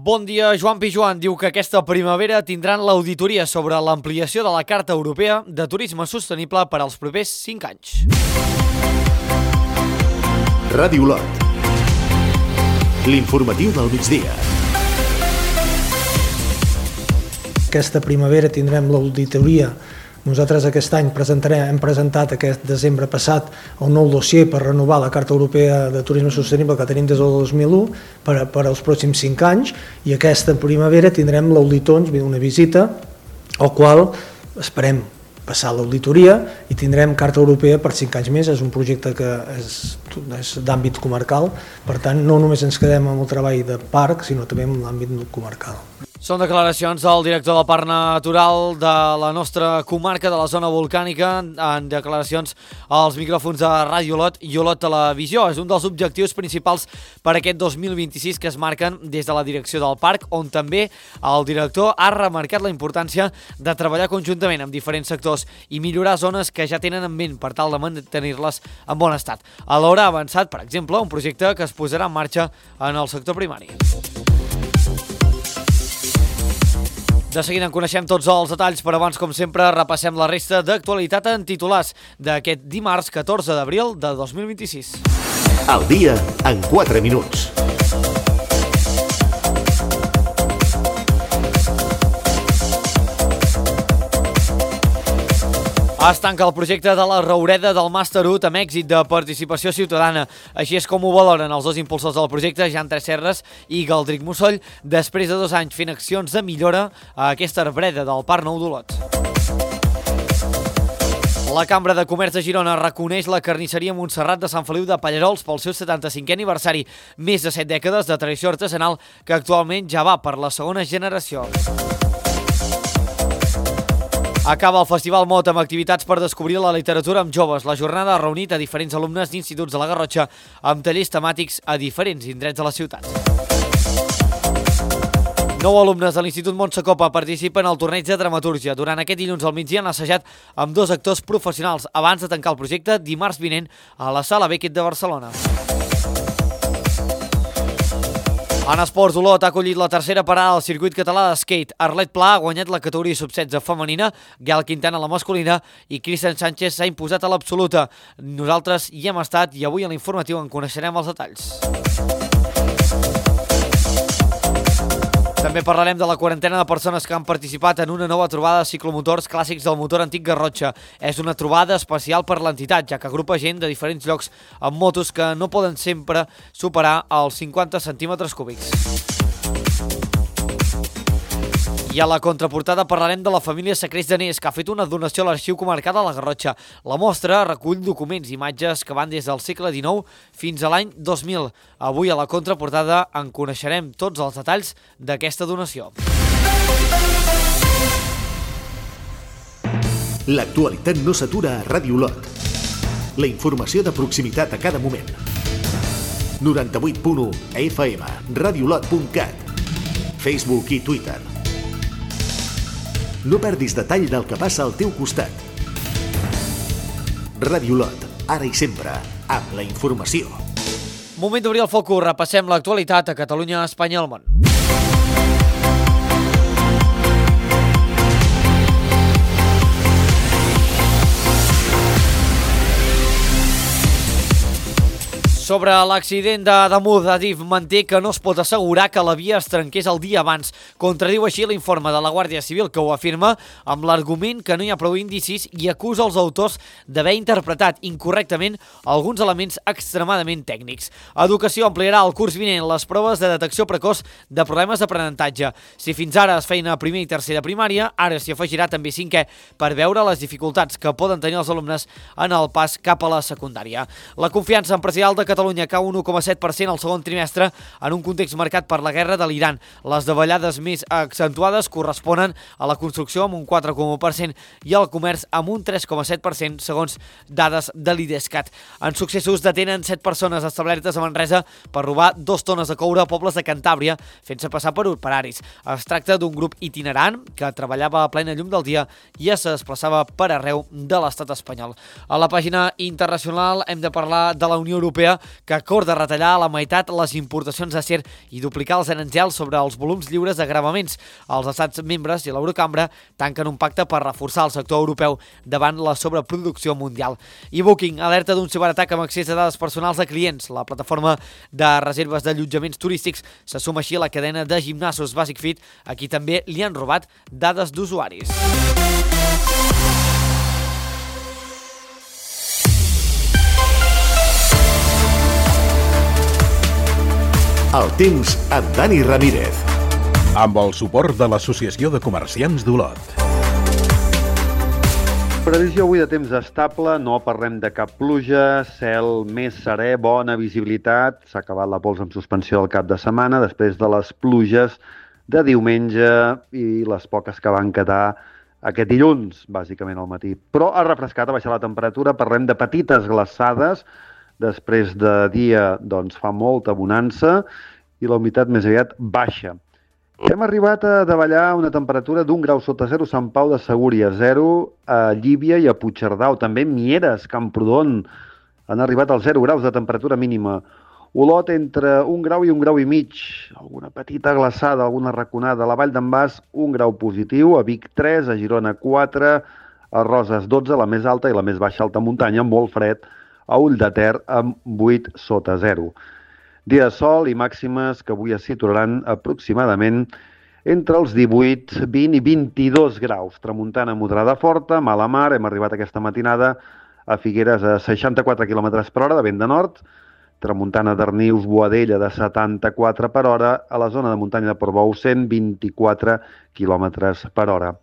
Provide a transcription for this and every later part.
Bon dia, Joan Pijuan diu que aquesta primavera tindran l'auditoria sobre l'ampliació de la Carta Europea de Turisme Sostenible per als propers 5 anys. Ràdio Olot. L'informatiu del migdia. Aquesta primavera tindrem l'auditoria. Nosaltres aquest any hem presentat aquest desembre passat el nou dossier per renovar la Carta Europea de Turisme Sostenible que tenim des del 2001 per als pròxims 5 anys, i aquesta primavera tindrem l'auditor, una visita, al qual esperem passar l'auditoria i tindrem Carta Europea per 5 anys més. És un projecte que és d'àmbit comarcal, per tant no només ens quedem amb el treball de parc, sinó també amb l'àmbit comarcal. Són declaracions del director del Parc Natural de la nostra comarca, de la zona volcànica, en declaracions als micròfons de Ràdio Olot i Olot Televisió. És un dels objectius principals per aquest 2026 que es marquen des de la direcció del parc, on també el director ha remarcat la importància de treballar conjuntament amb diferents sectors i millorar zones que ja tenen en ment per tal de mantenir-les en bon estat. Alhora ha avançat, per exemple, un projecte que es posarà en marxa en el sector primari. De seguida en coneixem tots els detalls, però abans, com sempre, repassem la resta d'actualitat en titulars d'aquest dimarts 14 d'abril de 2026. Al dia en 4 minuts. Es tanca el projecte de la Roureda del Màster 1 amb èxit de participació ciutadana. Així és com ho valoren els dos impulsors del projecte, Jan Tresserres i Galdric Mussoll, després de 2 anys fent accions de millora a aquesta arbreda del Parc Nou d'Olot. La Cambra de Comerç de Girona reconeix la carnisseria Montserrat de Sant Feliu de Pallarols pel seu 75è aniversari, més de 7 dècades de tradició artesanal que actualment ja va per la segona generació. Acaba el Festival Mot amb activitats per descobrir la literatura amb joves. La jornada ha reunit a diferents alumnes d'instituts de la Garrotxa amb tallers temàtics a diferents indrets de la ciutat. 9 alumnes de l'Institut Montsecopa participen al torneig de dramatúrgia. Durant aquest dilluns al migdia han assajat amb 2 actors professionals abans de tancar el projecte dimarts vinent a la Sala Beckett de Barcelona. En esports, Olot ha acollit la tercera parada al circuit català d'skate. Arlet Pla ha guanyat la categoria sub-16 femenina, Gael Quintana la masculina i Cristian Sánchez s'ha imposat a l'absoluta. Nosaltres hi hem estat i avui a l'informatiu en coneixerem els detalls. També parlarem de la quarantena de persones que han participat en una nova trobada de ciclomotors clàssics del motor antic Garrotxa. És una trobada especial per l'entitat, ja que agrupa gent de diferents llocs amb motos que no poden sempre superar els 50 centímetres cúbics. I a la contraportada parlarem de la família Secrets d'Anés, que ha fet una donació a l'Arxiu Comarcal de la Garrotxa. La mostra recull documents i imatges que van des del segle XIX fins a l'any 2000. Avui a la contraportada en coneixerem tots els detalls d'aquesta donació. L'actualitat no s'atura a Ràdio Olot. La informació de proximitat a cada moment. 98.1 FM, radioolot.cat, Facebook i Twitter. No perdis detall del que passa al teu costat. Ràdio Olot, ara i sempre, amb la informació. Moment d'obrir el focus, repassem l'actualitat a Catalunya, Espanya i el món. Sobre l'accident d'Ademús, Adif manté que no es pot assegurar que la via es trenqués el dia abans. Contradiu així l'informe de la Guàrdia Civil, que ho afirma amb l'argument que no hi ha prou indicis i acusa els autors d'haver interpretat incorrectament alguns elements extremadament tècnics. Educació ampliarà el curs vinent les proves de detecció precoç de problemes d'aprenentatge. Si fins ara es feien a primer i tercer de primària, ara s'hi afegirà també 5è per veure les dificultats que poden tenir els alumnes en el pas cap a la secundària. La confiança empresarial de Catalunya cau un 1,7% al segon trimestre en un context marcat per la guerra de l'Iran. Les davallades més accentuades corresponen a la construcció amb un 4,1% i al comerç amb un 3,7% segons dades de l'IDESCAT. En successos detenen 7 persones establertes a Manresa per robar 2 tones de coure a pobles de Cantàbria fent-se passar per operaris. Es tracta d'un grup itinerant que treballava a plena llum del dia i es desplaçava per arreu de l'estat espanyol. A la pàgina internacional hem de parlar de la Unió Europea, que acorda retallar a la meitat les importacions d'acer i duplicar els aranzels sobre els volums lliures de gravaments. Els estats membres i l'Eurocambra tanquen un pacte per reforçar el sector europeu davant la sobreproducció mundial. I Booking alerta d'un ciberatac amb accés a dades personals de clients. La plataforma de reserves d'allotjaments turístics se suma així a la cadena de gimnasos Basic Fit, a qui també li han robat dades d'usuaris. El temps amb Dani Ramírez. Amb el suport de l'Associació de Comerciants d'Olot. Previsió avui de temps estable, no parlem de cap pluja, cel més serè, bona visibilitat. S'ha acabat la pols en suspensió del cap de setmana després de les pluges de diumenge i les poques que van quedar aquest dilluns, bàsicament al matí. Però ha refrescat, ha baixat la temperatura, parlem de petites glaçades. Després de dia doncs, fa molta bonança i la humitat més aviat baixa. Hem arribat a davallar una temperatura d'1 grau sota 0 a Sant Pau de Segúries, 0 a Llívia i a Puigcerdà, també Mieres, Camprodon, han arribat als 0 graus de temperatura mínima. Olot entre 1 grau i 1 grau i mig, alguna petita glaçada, alguna raconada. A la Vall d'en Bas, 1 grau positiu, a Vic 3, a Girona 4, a Roses 12, la més alta, i la més baixa alta muntanya, molt fred, a Ulldeter amb 8 sota 0. Dia de sol i màximes que avui es situaran aproximadament entre els 18, 20 i 22 graus. Tramuntana moderada forta, mala mar, hem arribat aquesta matinada a Figueres a 64 km per hora de vent de nord, tramuntana d'Arnius, Boadella de 74 per hora, a la zona de muntanya de Portbou 124 km per hora.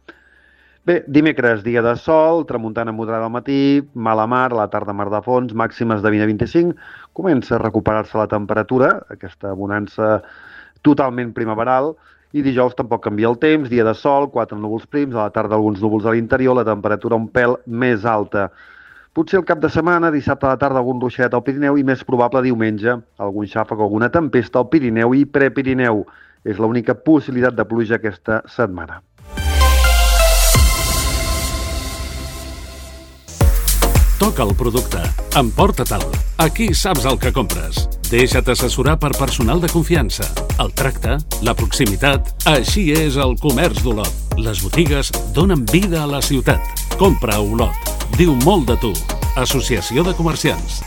Bé, dimecres, dia de sol, tramuntana moderada al matí, mala mar, a la tarda mar de fons, màximes de 20 a 25, comença a recuperar-se la temperatura, aquesta bonança totalment primaveral, i dijous tampoc canvia el temps, dia de sol, 4 núvols prims, a la tarda alguns núvols a l'interior, la temperatura un pèl més alta. Potser el cap de setmana, dissabte a la tarda, algun ruixet al Pirineu i més probable diumenge, algun xàfec o alguna tempesta al Pirineu i Prepirineu. És l'única possibilitat de pluja aquesta setmana. Toca el producte. Emporta-te'l. Aquí saps el que compres. Deixa't assessorar per personal de confiança. El tracte, la proximitat... Així és el comerç d'Olot. Les botigues donen vida a la ciutat. Compra a Olot. Diu molt de tu. Associació de Comerciants.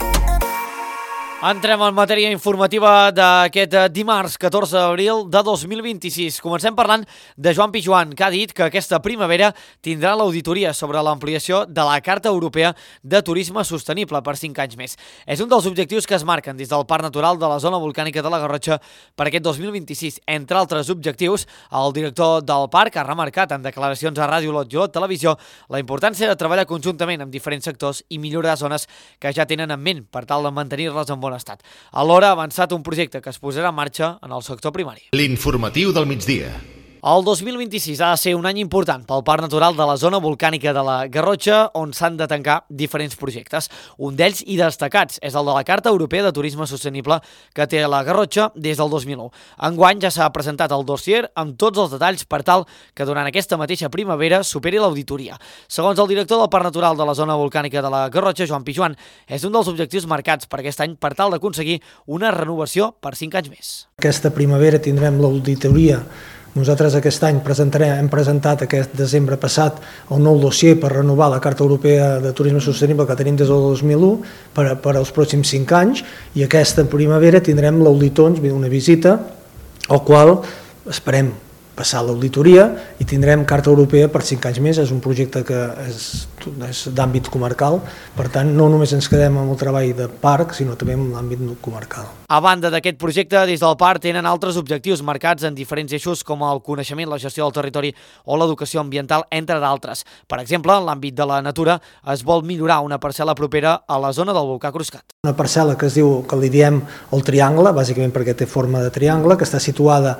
Entrem en matèria informativa d'aquest dimarts 14 d'abril de 2026. Comencem parlant de Joan Pijuan, que ha dit que aquesta primavera tindrà l'auditoria sobre l'ampliació de la Carta Europea de Turisme Sostenible per 5 anys més. És un dels objectius que es marquen des del Parc Natural de la Zona Volcànica de la Garrotxa per aquest 2026. Entre altres objectius, el director del parc ha remarcat en declaracions a Ràdio Olot i Olot Televisió la importància de treballar conjuntament amb diferents sectors i millorar zones que ja tenen en ment per tal de mantenir-les en bon estat. Alhora ha avançat un projecte que es posarà en marxa en el sector primari. L'informatiu del migdia. El 2026 ha de ser un any important pel Parc Natural de la Zona Volcànica de la Garrotxa, on s'han de tancar diferents projectes. Un d'ells, i destacats, és el de la Carta Europea de Turisme Sostenible que té la Garrotxa des del 2001. Enguany ja s'ha presentat el dossier amb tots els detalls per tal que durant aquesta mateixa primavera superi l'auditoria. Segons el director del Parc Natural de la Zona Volcànica de la Garrotxa, Joan Pijuan, és un dels objectius marcats per aquest any per tal d'aconseguir una renovació per 5 anys més. Aquesta primavera tindrem l'auditoria. Nosaltres aquest any hem presentat aquest desembre passat el nou dossier per renovar la Carta Europea de Turisme Sostenible que tenim des del 2001 per als pròxims 5 anys, i aquesta primavera tindrem l'auditor, una visita, al qual esperem passar l'auditoria i tindrem Carta Europea per 5 anys més. És un projecte que és d'àmbit comarcal, per tant no només ens quedem amb el treball de parc, sinó també amb l'àmbit comarcal. A banda d'aquest projecte, des del parc tenen altres objectius marcats en diferents eixos com el coneixement, la gestió del territori o l'educació ambiental, entre d'altres. Per exemple, en l'àmbit de la natura es vol millorar una parcel·la propera a la zona del volcà Cruscat. Una parcel·la que li diem el Triangle, bàsicament perquè té forma de triangle, que està situada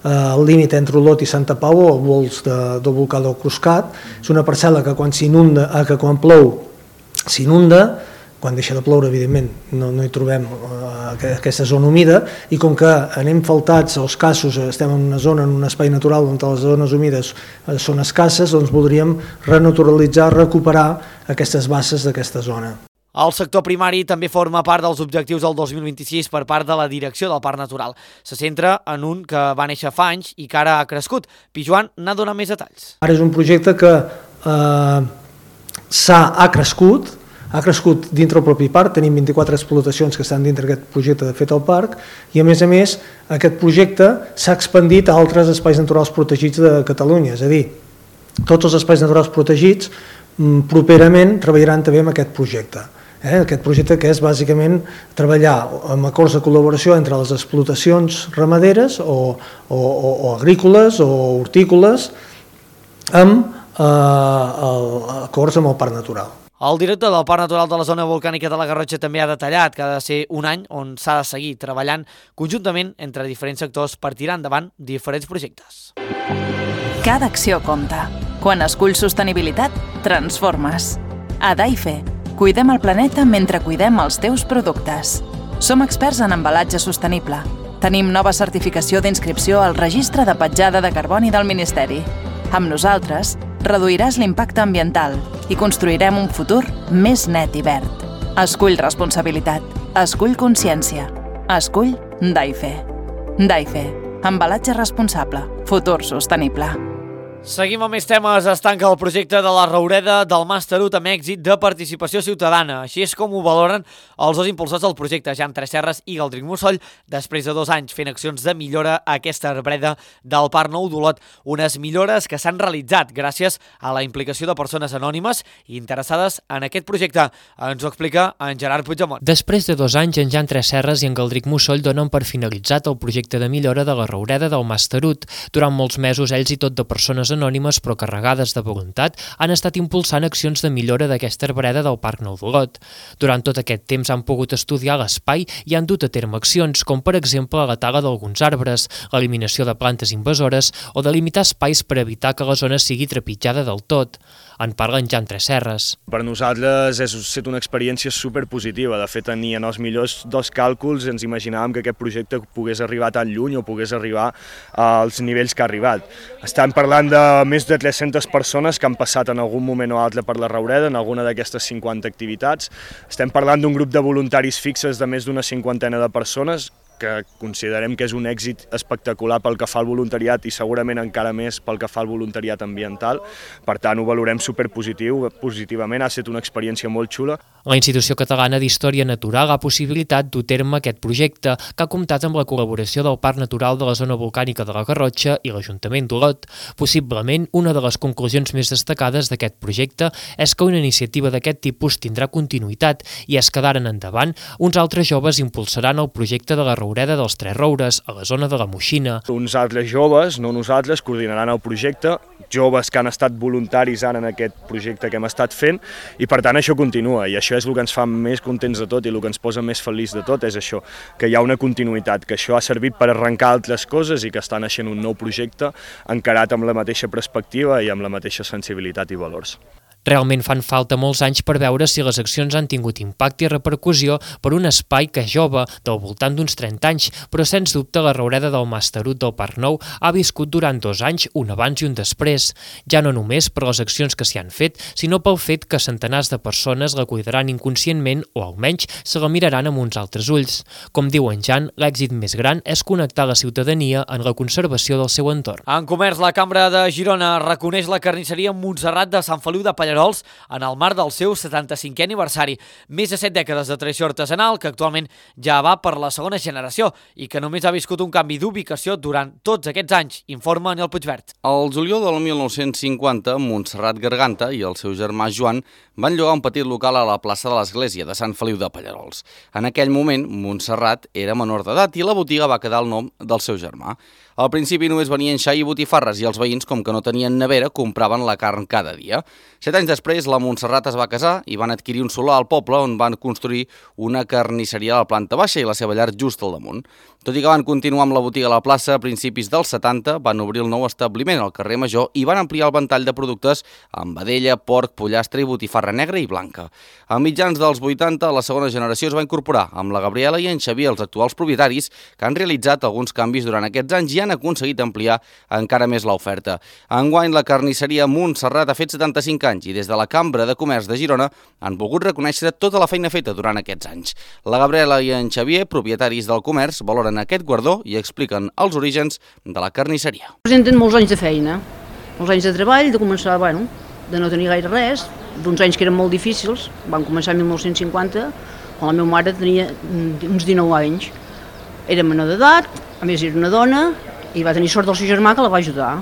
al límit entre Olot i Santa Pau, al vols del volcà del Cruscat. És una parcel·la que quan plou s'inunda, quan deixa de ploure, evidentment, no hi trobem aquesta zona humida, i com que anem faltats als casos, estem en una zona, en un espai natural on les zones humides són escasses, doncs voldríem renaturalitzar, recuperar aquestes basses d'aquesta zona. El sector primari també forma part dels objectius del 2026 per part de la direcció del Parc Natural. Se centra en un que va néixer fa anys i que ara ha crescut. Pijuan n'ha donat més detalls. Ara és un projecte que ha crescut dintre el propi parc, tenim 24 explotacions que estan dintre d'aquest projecte de fet al parc i a més aquest projecte s'ha expandit a altres espais naturals protegits de Catalunya, és a dir, tots els espais naturals protegits properament treballaran també amb aquest projecte. Aquest projecte que és bàsicament treballar amb acords de col·laboració entre les explotacions ramaderes o agrícoles o hortícoles amb acords amb el parc natural. El director del Parc Natural de la Zona Volcànica de la Garrotxa també ha detallat que ha de ser un any on s'ha de seguir treballant conjuntament entre diferents sectors per tirar endavant diferents projectes. Cada acció compta. Quan esculls sostenibilitat, transformes. A Daife, cuidem el planeta mentre cuidem els teus productes. Som experts en embalatge sostenible. Tenim nova certificació d'inscripció al Registre de Petjada de Carboni del Ministeri. Amb nosaltres, reduiràs l'impacte ambiental i construirem un futur més net i verd. Escull responsabilitat. Escull consciència. Escull Daife. Daife. Embalatge responsable. Futur sostenible. Seguim amb més temes. Es tanca el projecte de la Roureda del Mas Tarut amb èxit de participació ciutadana. Així és com ho valoren els dos impulsors del projecte, Jan Tresserras i Galdric Mussol, després de 2 anys fent accions de millora a aquesta arbreda del Parc Nou d'Olot. Unes millores que s'han realitzat gràcies a la implicació de persones anònimes i interessades en aquest projecte. Ens ho explica en Gerard Puigdemont. Després de 2 anys, en Jan Tresserras i en Galdric Mussol donen per finalitzat el projecte de millora de la Roureda del Mas Tarut. Durant molts mesos, ells i tot de persones anònimes però carregades de voluntat han estat impulsant accions de millora d'aquesta arbreda del Parc Nou d'Olot. Durant tot aquest temps han pogut estudiar l'espai i han dut a terme accions com per exemple la tala d'alguns arbres, l'eliminació de plantes invasores o de limitar espais per evitar que la zona sigui trepitjada del tot. En parla en Jan Tresserras. Per nosaltres ha estat una experiència superpositiva. De fet, ni en els millors 2 càlculs ens imaginàvem que aquest projecte pogués arribar tan lluny o pogués arribar als nivells que ha arribat. Estem parlant de més de 300 persones que han passat en algun moment o altre per la Roureda, en alguna d'aquestes 50 activitats. Estem parlant d'un grup de voluntaris fixes de més d'una 50ena de persones que considerem que és un èxit espectacular pel que fa al voluntariat i segurament encara més pel que fa al voluntariat ambiental. Per tant, ho valorem positivament, ha estat una experiència molt xula. La Institució Catalana d'Història Natural ha possibilitat dur a terme aquest projecte, que ha comptat amb la col·laboració del Parc Natural de la Zona Volcànica de la Garrotxa i l'Ajuntament d'Olot. Possiblement, una de les conclusions més destacades d'aquest projecte és que una iniciativa d'aquest tipus tindrà continuïtat i és que d'ara en endavant uns altres joves impulsaran el projecte de la Roureda dels Tres Roures, a la zona de la Moixina. Uns altres joves, no nosaltres, coordinaran el projecte, joves que han estat voluntaris ara en aquest projecte que hem estat fent i per tant això continua i això és el que ens fa més contents de tot i el que ens posa més feliç de tot és això, que hi ha una continuïtat, que això ha servit per arrencar altres coses i que està naixent un nou projecte encarat amb la mateixa perspectiva i amb la mateixa sensibilitat i valors. Realment fan falta molts anys per veure si les accions han tingut impacte i repercussió per un espai que és jove, del voltant d'uns 30 anys, però sens dubte la Roureda del Mas Tarut del Parc Nou ha viscut durant 2 anys un abans i un després, ja no només per les accions que s'hi han fet, sinó pel fet que centenars de persones la cuidaran inconscientment o almenys se la miraran amb uns altres ulls. Com diu en Jan, l'èxit més gran és connectar la ciutadania en la conservació del seu entorn. En comerç, la Cambra de Girona reconeix la carnisseria Montserrat de Sant Feliu de Pallerols en el marc del seu 75è aniversari. Més de 7 dècades de tradició artesanal que actualment ja va per la segona generació i que només ha viscut un canvi d'ubicació durant tots aquests anys, informa Anel Puigvert. Al juliol del 1950, Montserrat Garganta i el seu germà Joan van llogar un petit local a la plaça de l'Església de Sant Feliu de Pallerols. En aquell moment, Montserrat era menor d'edat i la botiga va quedar el nom del seu germà. Al principi només venien xai i botifarres i els veïns, com que no tenien nevera, compraven la carn cada dia. 7 anys després, la Montserrat es va casar i van adquirir un solar al poble on van construir una carnisseria a la planta baixa i la seva llar just al damunt. Tot i que van continuar amb la botiga a la plaça, a principis dels 70 van obrir el nou establiment al carrer Major i van ampliar el ventall de productes amb vedella, porc, pollastre i botifarra terra negra i blanca. A mitjans dels 80, la segona generació es va incorporar amb la Gabriela i en Xavier, els actuals propietaris, que han realitzat alguns canvis durant aquests anys i han aconseguit ampliar encara més l'oferta. Enguany, la carnisseria Montserrat ha fet 75 anys i des de la Cambra de Comerç de Girona han volgut reconèixer tota la feina feta durant aquests anys. La Gabriela i en Xavier, propietaris del comerç, valoren aquest guardó i expliquen els orígens de la carnisseria. Presenten molts anys de feina, molts anys de treball, de començar, de no tenir gaire res, d'uns anys que eren molt difícils. Van començar en 1950, quan la meva mare tenia uns 19 anys. Era menor d'edat, a més era una dona, i va tenir sort del seu germà que la va ajudar.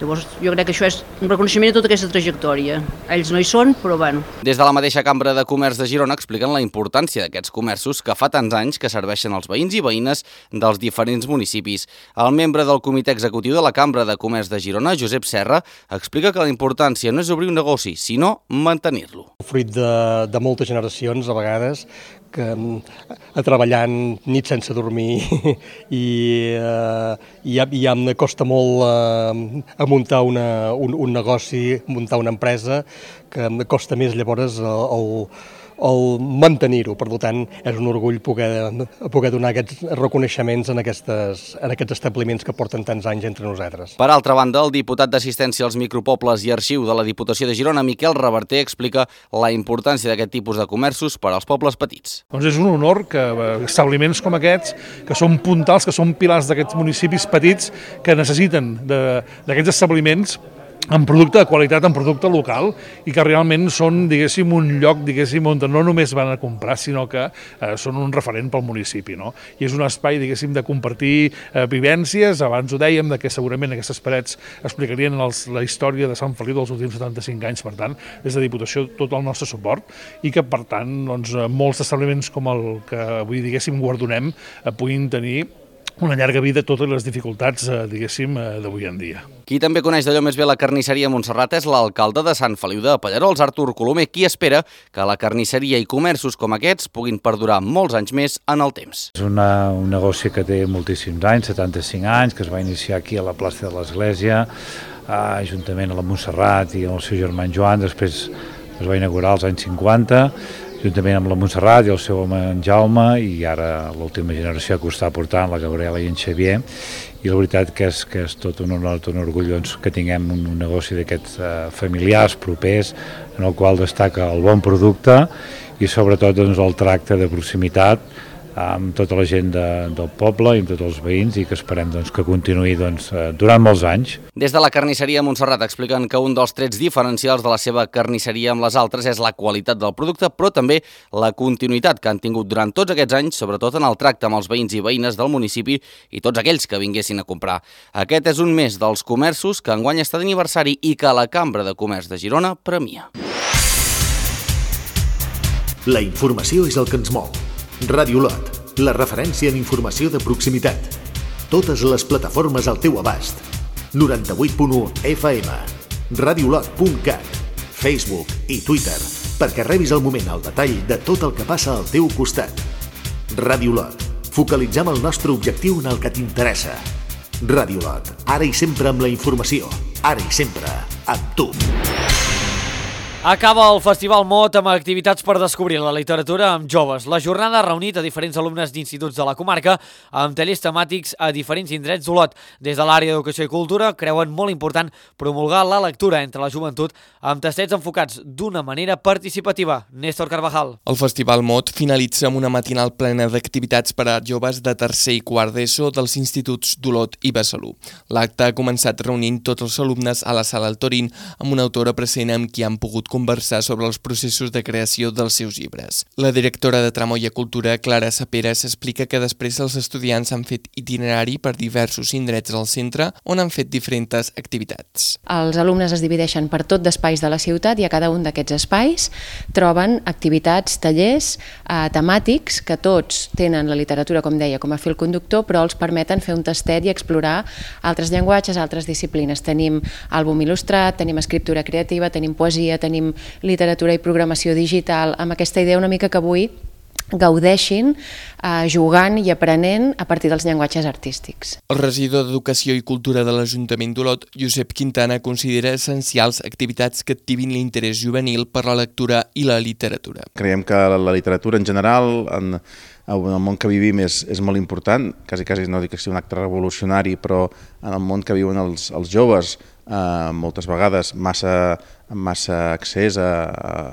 Llavors, jo crec que això és un reconeixement de tota aquesta trajectòria. Ells no hi són, però bueno. Des de la mateixa Cambra de Comerç de Girona expliquen la importància d'aquests comerços que fa tants anys que serveixen als veïns i veïnes dels diferents municipis. El membre del comitè executiu de la Cambra de Comerç de Girona, Josep Serra, explica que la importància no és obrir un negoci, sinó mantenir-lo. Fruit de moltes generacions, a vegades, que treballant nit sense dormir i ja em costa molt a muntar un negoci, muntar una empresa, que em costa més llavors el mantenir-ho. Per tant, és un orgull poder donar aquests reconeixements en aquests establiments que porten tants anys entre nosaltres. Per altra banda, el diputat d'Assistència als Micropobles i Arxiu de la Diputació de Girona, Miquel Reverter, explica la importància d'aquest tipus de comerços per als pobles petits. Doncs és un honor que establiments com aquests, que són puntals, que són pilars d'aquests municipis petits, que necessiten d'aquests establiments en producte de qualitat, en producte local, i que realment són, diguéssim, un lloc, diguéssim, on no només van a comprar, sinó que són un referent pel municipi, no? I és un espai, diguéssim, de compartir vivències. Abans ho dèiem, que segurament aquestes parets explicarien la història de Sant Feliu dels últims 75 anys. Per tant, des de Diputació, tot el nostre suport, i que, per tant, doncs, molts establiments com el que avui, diguéssim, guardonem, puguin tenir una llarga vida, totes les dificultats, diguéssim, d'avui en dia. Qui també coneix d'allò més bé la carnisseria Montserrat és l'alcalde de Sant Feliu de Pallerols, Artur Colomer, qui espera que la carnisseria i comerços com aquests puguin perdurar molts anys més en el temps. És un negoci que té moltíssims anys, 75 anys, que es va iniciar aquí a la plaça de l'Església, juntament a la Montserrat i amb el seu germà Joan. Després es va inaugurar als anys 50, juntament amb la Montserrat i el seu home en Jaume, i ara l'última generació que ho està portant, la Gabriela i en Xavier. I la veritat que és tot un honor, tot un orgull que tinguem un negoci d'aquests familiars, propers, en el qual destaca el bon producte i sobretot el tracte de proximitat amb tota la gent del poble i amb tots els veïns, i que esperem que continuï durant molts anys. Des de la carnisseria Montserrat expliquen que un dels trets diferencials de la seva carnisseria amb les altres és la qualitat del producte, però també la continuïtat que han tingut durant tots aquests anys, sobretot en el tracte amb els veïns i veïnes del municipi i tots aquells que vinguessin a comprar. Aquest és un més dels comerços que enguany està d'aniversari i que la Cambra de Comerç de Girona premia. La informació és el que ens mou. Ràdio Lot, la referència en informació de proximitat. Totes les plataformes al teu abast. 98.1 FM, radiolot.cat, Facebook i Twitter, perquè rebis al moment el detall de tot el que passa al teu costat. Ràdio Lot, focalitzem el nostre objectiu en el que t'interessa. Ràdio Lot, ara i sempre amb la informació, ara i sempre amb tu. Acaba el Festival Mot amb activitats per descobrir la literatura amb joves. La jornada ha reunit a diferents alumnes d'instituts de la comarca amb tallers temàtics a diferents indrets d'Olot. Des de l'àrea d'Educació i Cultura creuen molt important promulgar la lectura entre la joventut amb tastets enfocats d'una manera participativa. Néstor Carvajal. El Festival Mot finalitza amb una matinal plena d'activitats per a joves de tercer i quart d'ESO dels instituts d'Olot i Besalú. L'acte ha començat reunint tots els alumnes a la sala El Torín amb una autora present amb qui han pogut conversar sobre els processos de creació dels seus llibres. La directora de Tramoia Cultura, Clara Saperas, explica que després els estudiants han fet itinerari per diversos indrets del centre on han fet diferents activitats. Els alumnes es divideixen per tot d'espais de la ciutat i a cada un d'aquests espais troben activitats, tallers temàtics que tots tenen la literatura, com deia, com a fil conductor, però els permeten fer un tastet i explorar altres llenguatges, altres disciplines. Tenim àlbum il·lustrat, tenim escriptura creativa, tenim poesia, tenim literatura i programació digital, amb aquesta idea una mica que avui gaudeixin jugant i aprenent a partir dels llenguatges artístics. El regidor d'Educació i Cultura de l'Ajuntament d'Olot, Josep Quintana, considera essencials activitats que activin l'interès juvenil per la lectura i la literatura. Creiem que la literatura en general, en el món que vivim, és molt important, quasi no dic que sigui un acte revolucionari, però en el món que viuen els joves, moltes vegades amb massa accés a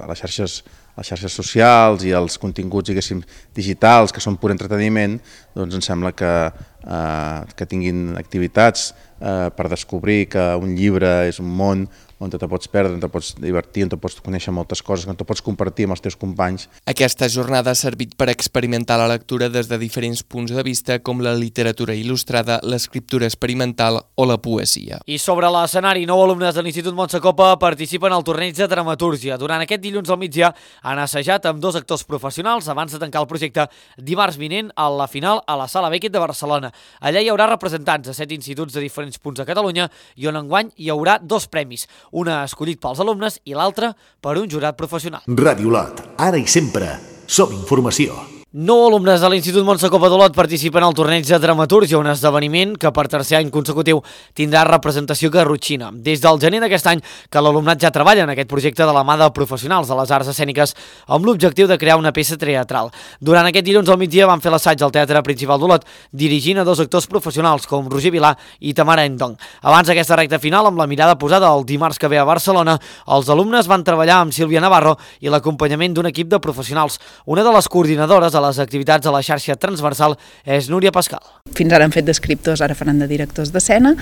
les xarxes socials i als continguts, diguéssim, digitals, que són pur entreteniment, doncs em sembla que tinguin activitats per descobrir que un llibre és un món on te pots perdre, on te pots divertir, on te pots conèixer moltes coses, on te pots compartir amb els teus companys. Aquesta jornada ha servit per experimentar la lectura des de diferents punts de vista, com la literatura il·lustrada, l'escriptura experimental o la poesia. I sobre l'escenari, 9 alumnes de l'Institut Montsecopa participen al torneig de dramatúrgia. Durant aquest dilluns al migdia han assajat amb 2 actors professionals abans de tancar el projecte dimarts vinent a la final a la Sala Beckett de Barcelona. Allà hi haurà representants de 7 instituts de diferents punts de Catalunya i on enguany hi haurà 2 premis, una escollit pels alumnes i l'altra per un jurat professional. Ràdio Olot, ara i sempre, som informació. 9 alumnes de l'Institut Montsecopa d'Olot participen al torneig de dramatúrgia, un esdeveniment que per tercer any consecutiu tindrà representació garrotxina. Des del gener d'aquest any que l'alumnat ja treballa en aquest projecte de la mà de professionals de les arts escèniques amb l'objectiu de crear una peça teatral. Durant aquest dilluns al migdia van fer l'assaig al Teatre Principal d'Olot, dirigint a 2 actors professionals com Roger Vilà i Tamara Endong. Abans d'aquesta recta final, amb la mirada posada el dimarts que ve a Barcelona, els alumnes van treballar amb Sílvia Navarro i l'acompanyament d'un equip de professionals. Una de les coordinadores de les activitats a la xarxa transversal és Núria Pascal. Fins ara han fet d'escriptors, ara faran de directors d'escena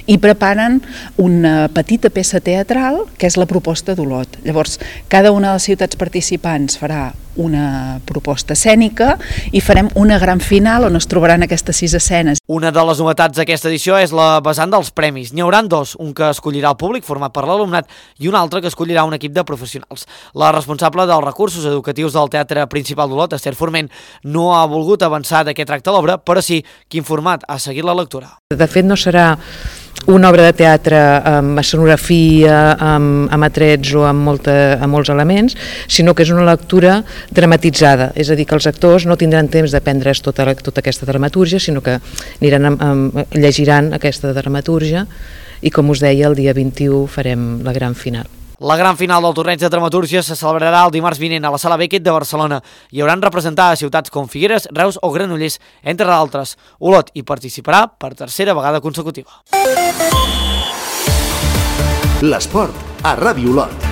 i preparen una petita peça teatral que és la proposta d'Olot. Llavors, cada una de les ciutats participants farà una proposta escènica i farem una gran final on es trobaran aquestes 6 escenes. Una de les novetats d'aquesta edició és la vessant dels premis. N'hi haurà 2, un que escollirà el públic format per l'alumnat i un altre que escollirà un equip de professionals. La responsable dels recursos educatius del Teatre Principal d'Olot, Esther Forment, no ha volgut avançar de què tracta l'obra, però sí quin format ha seguit la lectura. De fet, no serà una obra de teatre amb escenografia, amb atrets o amb molts elements, sinó que és una lectura dramatitzada, és a dir, que els actors no tindran temps de prendre's tota aquesta dramatúrgia, sinó que llegiran aquesta dramatúrgia i, com us deia, el dia 21 farem la gran final. La gran final del torneig de dramatúrgia se celebrarà el dimarts vinent a la Sala Beckett de Barcelona. Hi hauran representades ciutats com Figueres, Reus o Granollers, entre d'altres. Olot hi participarà per tercera vegada consecutiva. L'esport a Ràdio Olot.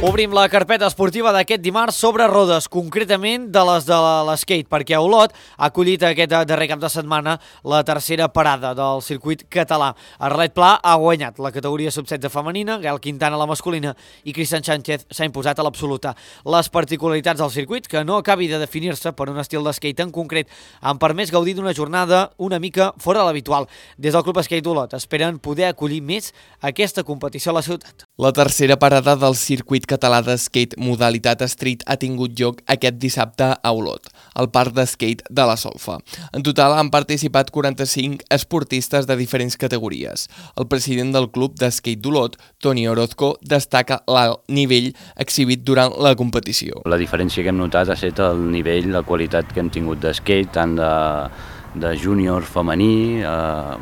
Obrim la carpeta esportiva d'aquest dimarts sobre rodes, concretament de les de l'skate, perquè Olot ha acollit aquest darrer cap de setmana la tercera parada del circuit català. Arlet Pla ha guanyat la categoria sub-16 femenina, Gael Quintana la masculina i Cristian Sánchez s'ha imposat a l'absoluta. Les particularitats del circuit, que no acabi de definir-se per un estil d'skate en concret, han permès gaudir d'una jornada una mica fora de l'habitual. Des del Club Skate Olot esperen poder acollir més aquesta competició a la ciutat. La tercera parada del circuit català de skate modalitat street ha tingut lloc aquest dissabte a Olot, al parc de skate de la Solfa. En total han participat 45 esportistes de diferents categories. El president del club de skate d'Olot, Toni Orozco, destaca l'alt nivell exhibit durant la competició. La diferència que hem notat ha estat el nivell, la qualitat que hem tingut de skate, tant de júnior femení,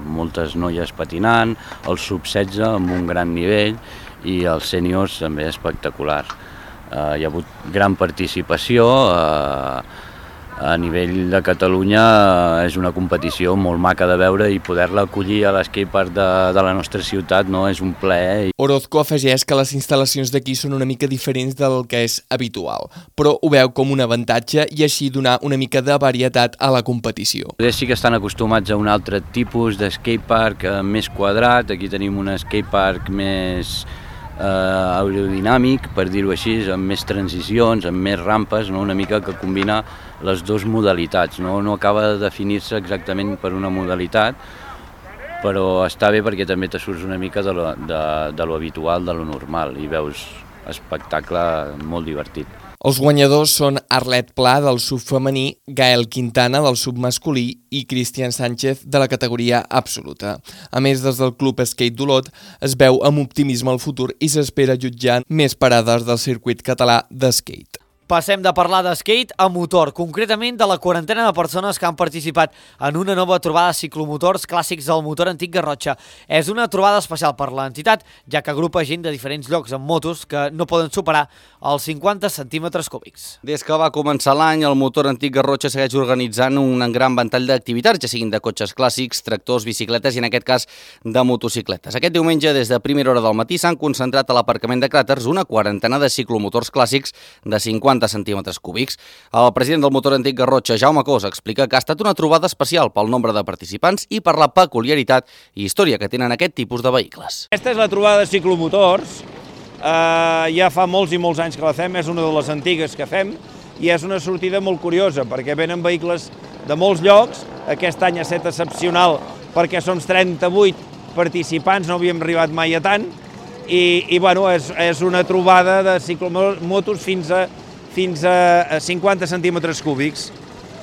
moltes noies patinant, el sub-16 amb un gran nivell, i els sèniors també espectacular. Hi ha hagut gran participació, a nivell de Catalunya és una competició molt maca de veure i poder-la acollir a l'escatepark de la nostra ciutat és un plaer. Orozco afegeix que les instal·lacions d'aquí són una mica diferents del que és habitual, però ho veu com un avantatge i així donar una mica de varietat a la competició. Sí que estan acostumats a un altre tipus d'escatepark més quadrat, aquí tenim un skatepark més aerodinàmic, per dir-ho així, amb més transicions, amb més rampes, una mica que combina les dues modalitats. No acaba de definir-se exactament per una modalitat, però està bé perquè també te surts una mica de lo habitual, de lo normal, i veus espectacle molt divertit. Els guanyadors són Arlet Pla del sub femení, Gael Quintana del sub masculí i Cristian Sánchez de la categoria absoluta. A més, des del Club Skate d'Olot es veu amb optimisme el futur i s'espera jutjar més parades del circuit català d'skate. Passem de parlar de skate a motor, concretament de la quarantena de persones que han participat en una nova trobada de ciclomotors clàssics del motor antic Garrotxa. És una trobada especial per l'entitat, ja que agrupa gent de diferents llocs amb motos que no poden superar els 50 centímetres cúbics. Des que va començar l'any, el motor antic Garrotxa segueix organitzant un gran ventall d'activitats, ja siguin de cotxes clàssics, tractors, bicicletes i en aquest cas de motocicletes. Aquest diumenge, des de primera hora del matí, s'han concentrat a l'aparcament de cràters una quarantena de ciclomotors clàssics de 50 centímetres cúbics. El president del motor antic Garrotxa, Jaume Cos, explica que ha estat una trobada especial pel nombre de participants i per la peculiaritat i història que tenen aquest tipus de vehicles. Aquesta és la trobada de ciclomotors. Ja fa molts i molts anys que la fem, és una de les antigues que fem i és una sortida molt curiosa perquè venen vehicles de molts llocs. Aquest any ha estat excepcional perquè som 38 participants, no havíem arribat mai a tant i bueno, és una trobada de ciclomotos fins a 50 centímetres cúbics.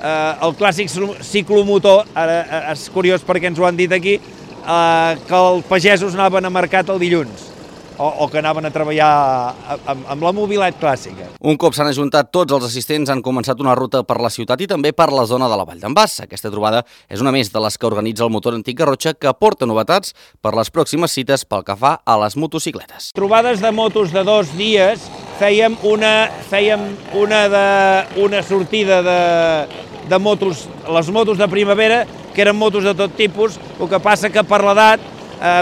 El clàssic ciclomotor, ara és curiós perquè ens ho han dit aquí, que els pagesos anaven a mercat el dilluns o que anaven a treballar amb la mobilitat clàssica. Un cop s'han ajuntat tots els assistents, han començat una ruta per la ciutat i també per la zona de la Vall d'en Bas. Aquesta trobada és una més de les que organitza el motor antic Garrotxa, que porta novetats per les pròximes cites pel que fa a les motocicletes. Trobades de motos de 2 dies, fèiem una sortida de motos, les motos de primavera, que eren motos de tot tipus, el que passa que per l'edat,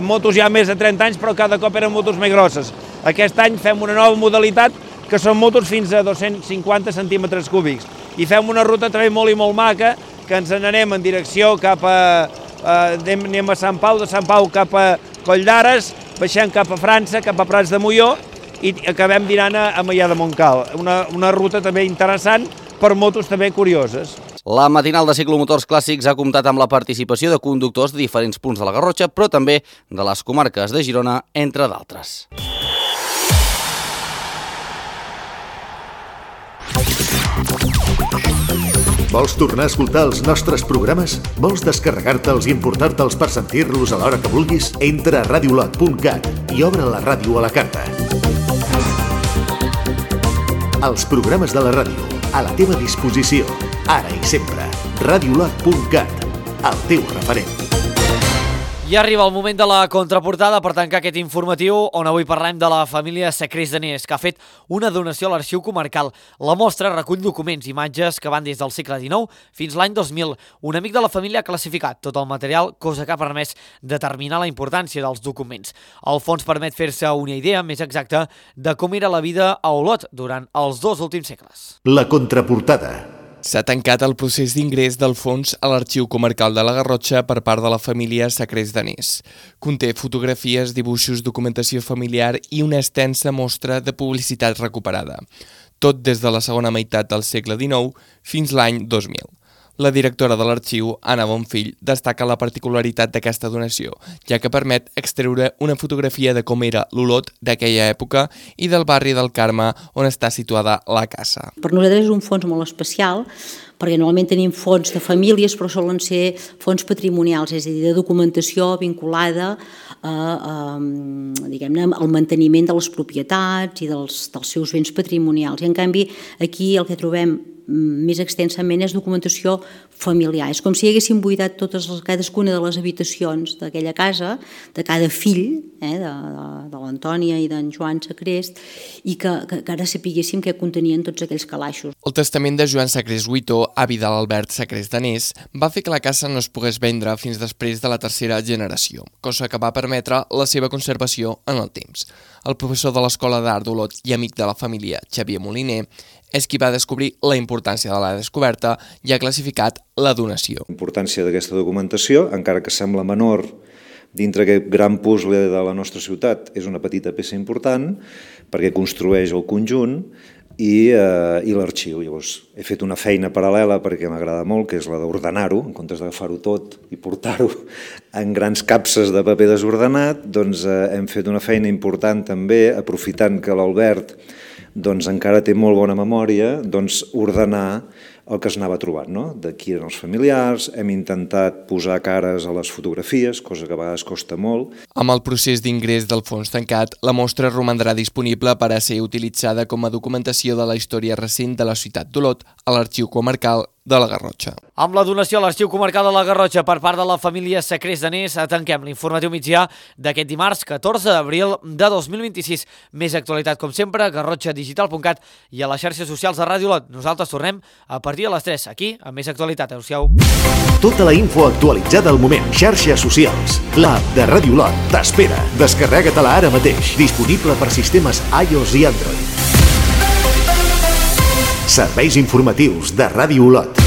motos ja més de 30 anys, però cada cop eren motos més grosses. Aquest any fem una nova modalitat, que són motos fins a 250 centímetres cúbics. I fem una ruta també molt i molt maca, que ens n'anem en direcció cap a... anem a Sant Pau, de Sant Pau cap a Coll d'Ares, baixem cap a França, cap a Prats de Molló, i acabem dinant a Maià de Montcal. Una ruta també interessant per motos també curioses. La matinal de ciclomotors clàssics ha comptat amb la participació de conductors de diferents punts de la Garrotxa, però també de les comarques de Girona, entre d'altres. Vols tornar a escoltar els nostres programes? Vols descarregar-te'ls i importar-te'ls per sentir-los a l'hora que vulguis? Entra a radiolot.cat i obre la ràdio a la carta. Els programes de la ràdio, a la teva disposició, ara i sempre. Radiolot.cat, el teu referent. I arriba el moment de la contraportada per tancar aquest informatiu, on avui parlem de la família Sacrés Danés, que ha fet una donació a l'Arxiu Comarcal. La mostra recull documents i imatges que van des del segle XIX fins l'any 2000. Un amic de la família ha classificat tot el material, cosa que ha permès determinar la importància dels documents. El fons permet fer-se una idea més exacta de com era la vida a Olot durant els 2 últims segles. La contraportada. S'ha tancat el procés d'ingrés del fons a l'Arxiu Comarcal de la Garrotxa per part de la família Sacrés Danés. Conté fotografies, dibuixos, documentació familiar i una extensa mostra de publicitat recuperada. Tot des de la segona meitat del segle XIX fins l'any 2000. La directora de l'arxiu, Anna Bonfill, destaca la particularitat d'aquesta donació, ja que permet extreure una fotografia de com era l'Olot d'aquella època i del barri del Carme on està situada la casa. Per nosaltres és un fons molt especial, perquè normalment tenim fons de famílies, però solen ser fons patrimonials, és a dir, de documentació vinculada diguem-ne, al manteniment de les propietats i dels seus béns patrimonials. I en canvi aquí el que trobem més extensament és documentació familiar. És com si haguéssim buidat cadascuna de les habitacions d'aquella casa, de cada fill, de l'Antònia i d'en Joan Sacrés, i que ara sapiguéssim què contenien tots aquells calaixos. El testament de Joan Sacrés Huitó, avi de l'Albert Sacrés Danés, va fer que la casa no es pogués vendre fins després de la tercera generació, cosa que va permetre la seva conservació en el temps. El professor de l'Escola d'Art d'Olot i amic de la família, Xavier Moliner, és qui va descobrir la importància de la descoberta i ha classificat la donació. La importància d'aquesta documentació, encara que sembla menor dintre aquest gran puzzle de la nostra ciutat, és una petita peça important perquè construeix el conjunt i l'arxiu. Llavors, he fet una feina paral·lela perquè m'agrada molt, que és la d'ordenar-ho, en comptes d'agafar-ho tot i portar-ho en grans capses de paper desordenat, doncs hem fet una feina important també, aprofitant que l'Albert doncs encara té molt bona memòria ordenar el que es anava trobant, no? De qui eren els familiars, hem intentat posar cares a les fotografies, cosa que a vegades costa molt. Amb el procés d'ingrés del fons tancat, la mostra romandrà disponible per a ser utilitzada com a documentació de la història recent de la ciutat d'Olot a l'Arxiu Comarcal de la Garrotxa. Amb la donació a l'Arxiu Comarcal de la Garrotxa per part de la família Sacrés Danés, tanquem l'informatiu migdià d'aquest dimarts 14 d'abril de 2026. Més actualitat, com sempre, garrotxadigital.cat i a les xarxes socials de Ràdio Olot. Nosaltres tornem a partir de les 3, aquí, amb més actualitat. Adéu-siau. Tota la info actualitzada al moment. Xarxes socials. L'app de Ràdio Olot t'espera. Descarrega-te-la ara mateix. Disponible per sistemes iOS i Android. Serveis informatius de Ràdio Olot.